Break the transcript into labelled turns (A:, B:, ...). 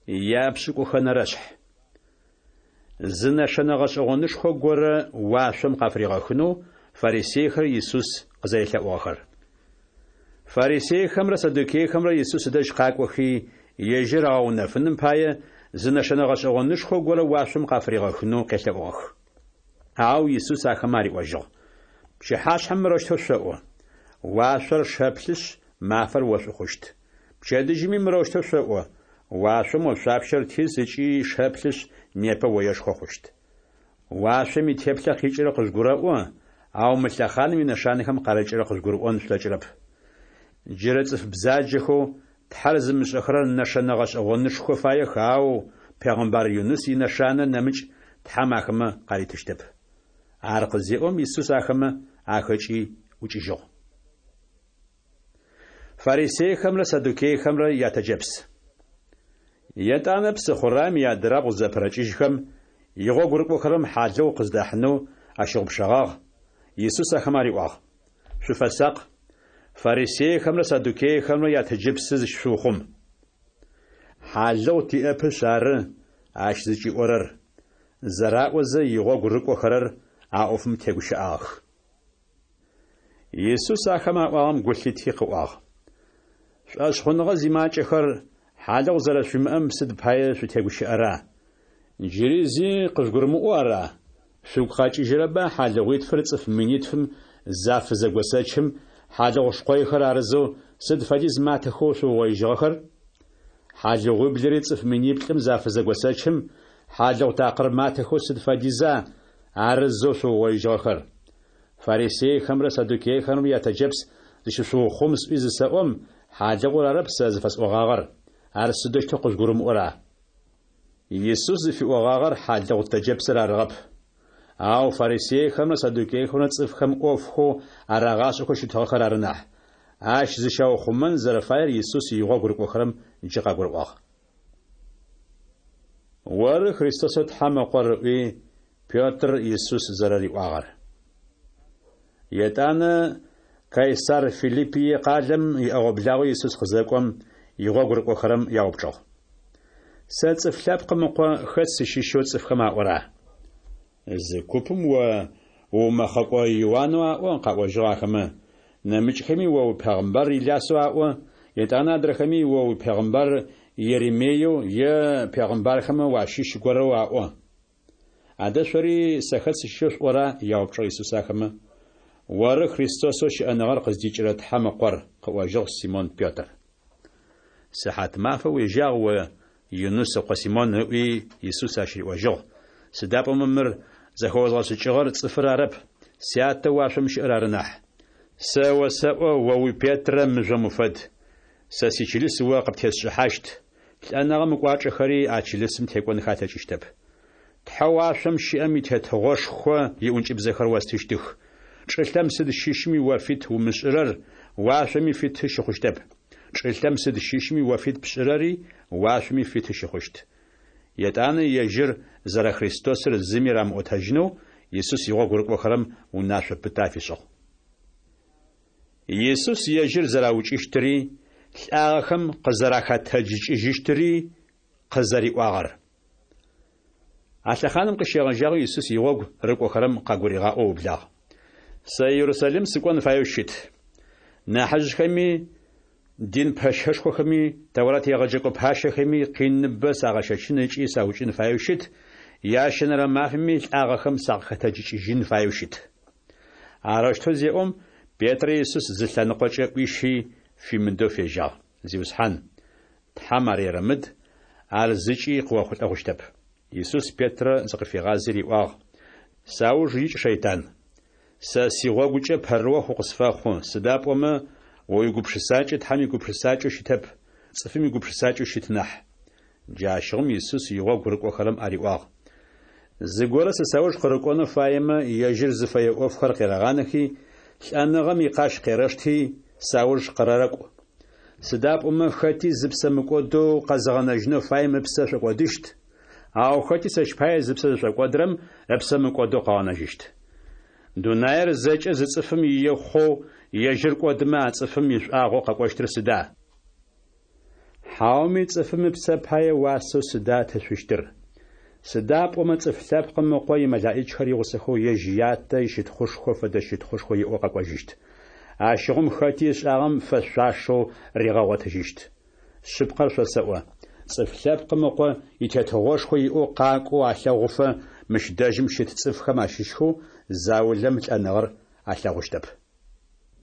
A: Япшӏыкӏухэнэрэшъхь. Зы нэшэнэ гъэшӏэгъонышхо горэ уашъом къафыригъэхынэу фарисейхэр Исус къызэрелъэӏугъэхэр. Фарисейхэмрэ саддукейхэмрэ Исус ыдэжь къакӏохи, ежьыр агъэунэфыным пае, зы нэшэнэ гъэшӏэгъонышхо горэ уашъом къафыригъэхынэу къелъэӏугъэх. Ау Исус ахэмэ ариӏожьыгъ: Пчыхьашъхьэм мырэущтэу шъоӏо: Уашъор шэплъышъ, мафэр ошӏу хъущт. Пчэдыжьыми мырэущтэу шъоӏо: Уашъом ошъуапщэр тиз ыкӏи шэплъышъ, непэ оешхо хъущт. Уашъом итеплъэ къикӏырэр къыжъугурэӏо, ау мы лъэхъаным инэшанэхэм къарыкӏырэр къыжъугурыӏон шъулъэкӏырэп. Джырэ цӏыф бзаджэхэу Тхьэр зымышӏэхэрэр нэшэнэ гъэшӏэгъонышхо фаех, ау пегъэмбар Юныс инэшанэ нэмыкӏ Тхьэм ахэмэ къаритыщтэп. Ар къызеӏом, Исус ахэмэ ахэкӏи ӏукӏыжьыгъ. Фарисейхэмрэ саддукейхэмрэ ятэджэпс. Етӏанэ псыхъураем иадырабгъу зэпырэкӏыжьхэм, игъогу рыкӏохэрэм хьалыгъу къыздахьынэу ащыгъупшэгъагъ. Исус ахэмэ ариӏуагъ: Шъуфэсакъ, фарисейхэмрэ саддукейхэмрэ ятэджыпсы зыщышъуухъум. Хьалыгъу тиӏэпышъ ары ащ зыкӏиӏорэр, зэраӏозэ, игъогу рыкӏохэрэр а ӏофым тегущыӏагъэх. Исус ахэмэ аӏуагъэм гу лъити къыӏуагъ: Шӏошъхъуныгъэ зимакӏэхэр, хьалыгъу зэрэшъуимыӏэм сыд пае шъутегущыӏэра? Джыри зи къыжъугурымыӏоу ара? Шъугу къэкӏыжьырэба хьалыгъуитфыр цӏыф минитфым зафызэгосэчым, хьалыгъу шкъойхэр арызэу сыд фэдиз матэхэу шъуугъоижьыгъэхэр? Хьалыгъуиблыри цӏыф миниплӏым зафызэгосэчым, хьалыгъу такъыр матэхэу сыд фэдиза арызэу шъуугъоижьыгъэхэр? Фарисейхэмрэ саддукейхэмрэ ятэджэпс зыщышъуухъум сӏуи зысэӏом, хьалыгъур арэп сэ зыфэсӏогъагъэр, ар сыдэущтэу къыжъугурымыӏора? Исус зыфиӏогъагъэр хьалыгъу тэджэпсыр арыгъэп. Ау фарисейхэмрэ саддукейхэмрэ цӏыфхэм ӏофхэу арагъашӏэхэу щытыгъэхэр ары нахь. Ащ зыщаухъумэн зэрэфаер Исус игъогу рыкӏохэрэм джы къагурыӏуагъ. Оры Христосэу Тхьэм Ыкъор, ыӏуи, Петр Исус зэрэриӏуагъэр. Етӏанэ Кайсар Филиппие къалэм иӏэгъо-благъо Исус къызэкӏом, игъогу рыкӏохэрэм яупчӏыгъ. Сэ Цӏыф Лъэпкъым Ыкъо хэт сыщыщэу цӏыфхэм аӏора? Зы купым о уумэхъэкӏо Иуанэу аӏо, къаӏожьыгъ ахэмэ, нэмыкӏхэми о упегъымбар Илясэу аӏо, етӏанэ адрэхэми о упегъымбар Еремееу е пегъымбархэмэ уащыщ горэу аӏо. Адэ шъори сэ хэт сыщыщэу шъуӏора? яупчӏыгъ Исус ахэмэ. Оры Христосэу щыӏэныгъэр къыздикӏырэ Тхьэм Ыкъор, къыӏожьыгъ Симон Петр. Сыхьат мафэ уежьагъ о, Юныс ыкъо Симон, ыӏуи, Исус ащ риӏожьыгъ, сыда пӏомэ мыр зэхэозгъэшӏыкӏыгъэр цӏыфыр арэп, Сятэ уашъом щыӏэр ары нахь. Сэ осэӏо, о уи Петрэ мыжъом уфэд, сэ сичылыс о къыптесшӏыхьащт, лӏэныгъэм ыкӏуачӏэхэри а чылысым текӏонхэ алъэкӏыщтэп. Тхьэу уашъом щыӏэм и Тетыгъошхо иӏункӏыбзэхэр остыщтых. Чӏылъэм сыд щыщми о фит умышӏырэр уашъоми фиты щыхъущтэп. Чӏылъэм сыд щыщми о фит пшӏырэри уашъоми фиты щыхъущт. Етӏанэ ежьыр зэрэ Христосыр зыми рамыӏотэжьынэу Исус игъогу рыкӏохэрэм унашъо пытэ афишӏыгъ. Исус ежьыр зэраукӏыщтыри, лӏагъэхэм къызэрахэтэджыкӏыжьыщтыри къызэриӏуагъэр. А лъэхъаным къыщегъэжьагъэу Исус игъогу рыкӏохэрэм къагуригъаӏоу ыублагъ. Сэ Ерусалим сыкӏон фаеу щыт. Нахьыжъхэми, дин пэщэшхохэми, Тэурат егъэджэкӏо пащэхэми къиныбэ сагъэщэчын ыкӏи саукӏын фаеу щыт, ящэнэрэ мафэми лӏагъэхэм сакъыхэтэджыкӏыжьын фаеу щыт. Арэущтэу зеӏом, Петрэ Исус зы лъэныкъокӏэ ӏуищи, фимыдэу фежьагъ: Зиусхьан, Тхьэм ар ерэмыд, ар зыкӏи къыохъулӏэ хъущтэп. Исус Петрэ зыкъыфигъази риӏуагъ, Сауж икӏ, шэйтан! Сэ сигъогукӏэ пэрыохъу укъысфэхъу, сыда пӏомэ о уигупшысакӏэ Тхьэм игупшысакӏэу щытэп, цӏыфым игупшысакӏэу щыт нахь. Джащыгъум Исус игъогу рыкӏохэрэм ариӏуагъ, Зыгорэ сэ сауж къырыкӏонэу фаемэ, ежьыр зыфэе ӏофхэр къерэгъанэхи, лӏэныгъэм икъащ къерэшти, сауж къырэрэкӏу. Сыда пӏомэ хэти зыпсэ мыкӏодэу къэзыгъэнэжьынэу фаем ыпсэ шӏокӏодыщт, ау хэти сэщ пае зыпсэ зышӏокӏодырэм ыпсэ мыкӏодэу къыгъэнэжьыщт. Дунаир зэкӏэ зы цӏыфым ие хъоу ежьыр кӏодымэ, а цӏыфым ишӏуагъэу къэкӏощтыр сыда? Хьауми цӏыфым ыпсэ пае уасэу сыда ытышъущтыр? Сыда пӏомэ Цӏыф Лъэпкъым Ыкъо имэлаӏичхэр игъусэхэу ежь Ятэ ищытхъушхо фэдэ щытхъушхо иӏэу къэкӏожьыщт. Ащыгъум хэти ышӏагъэм фэшъуашэу ригъэгъотыжьыщт. Шъыпкъэр шъосэӏо, Цӏыф Лъэпкъым Ыкъо итетыгъошхо иӏэу къакӏоу алъэгъуфэ, мыщ дэжьым щыт цӏыфхэм ащыщхэу заулэм лӏэныгъэр алъэгъущтэп.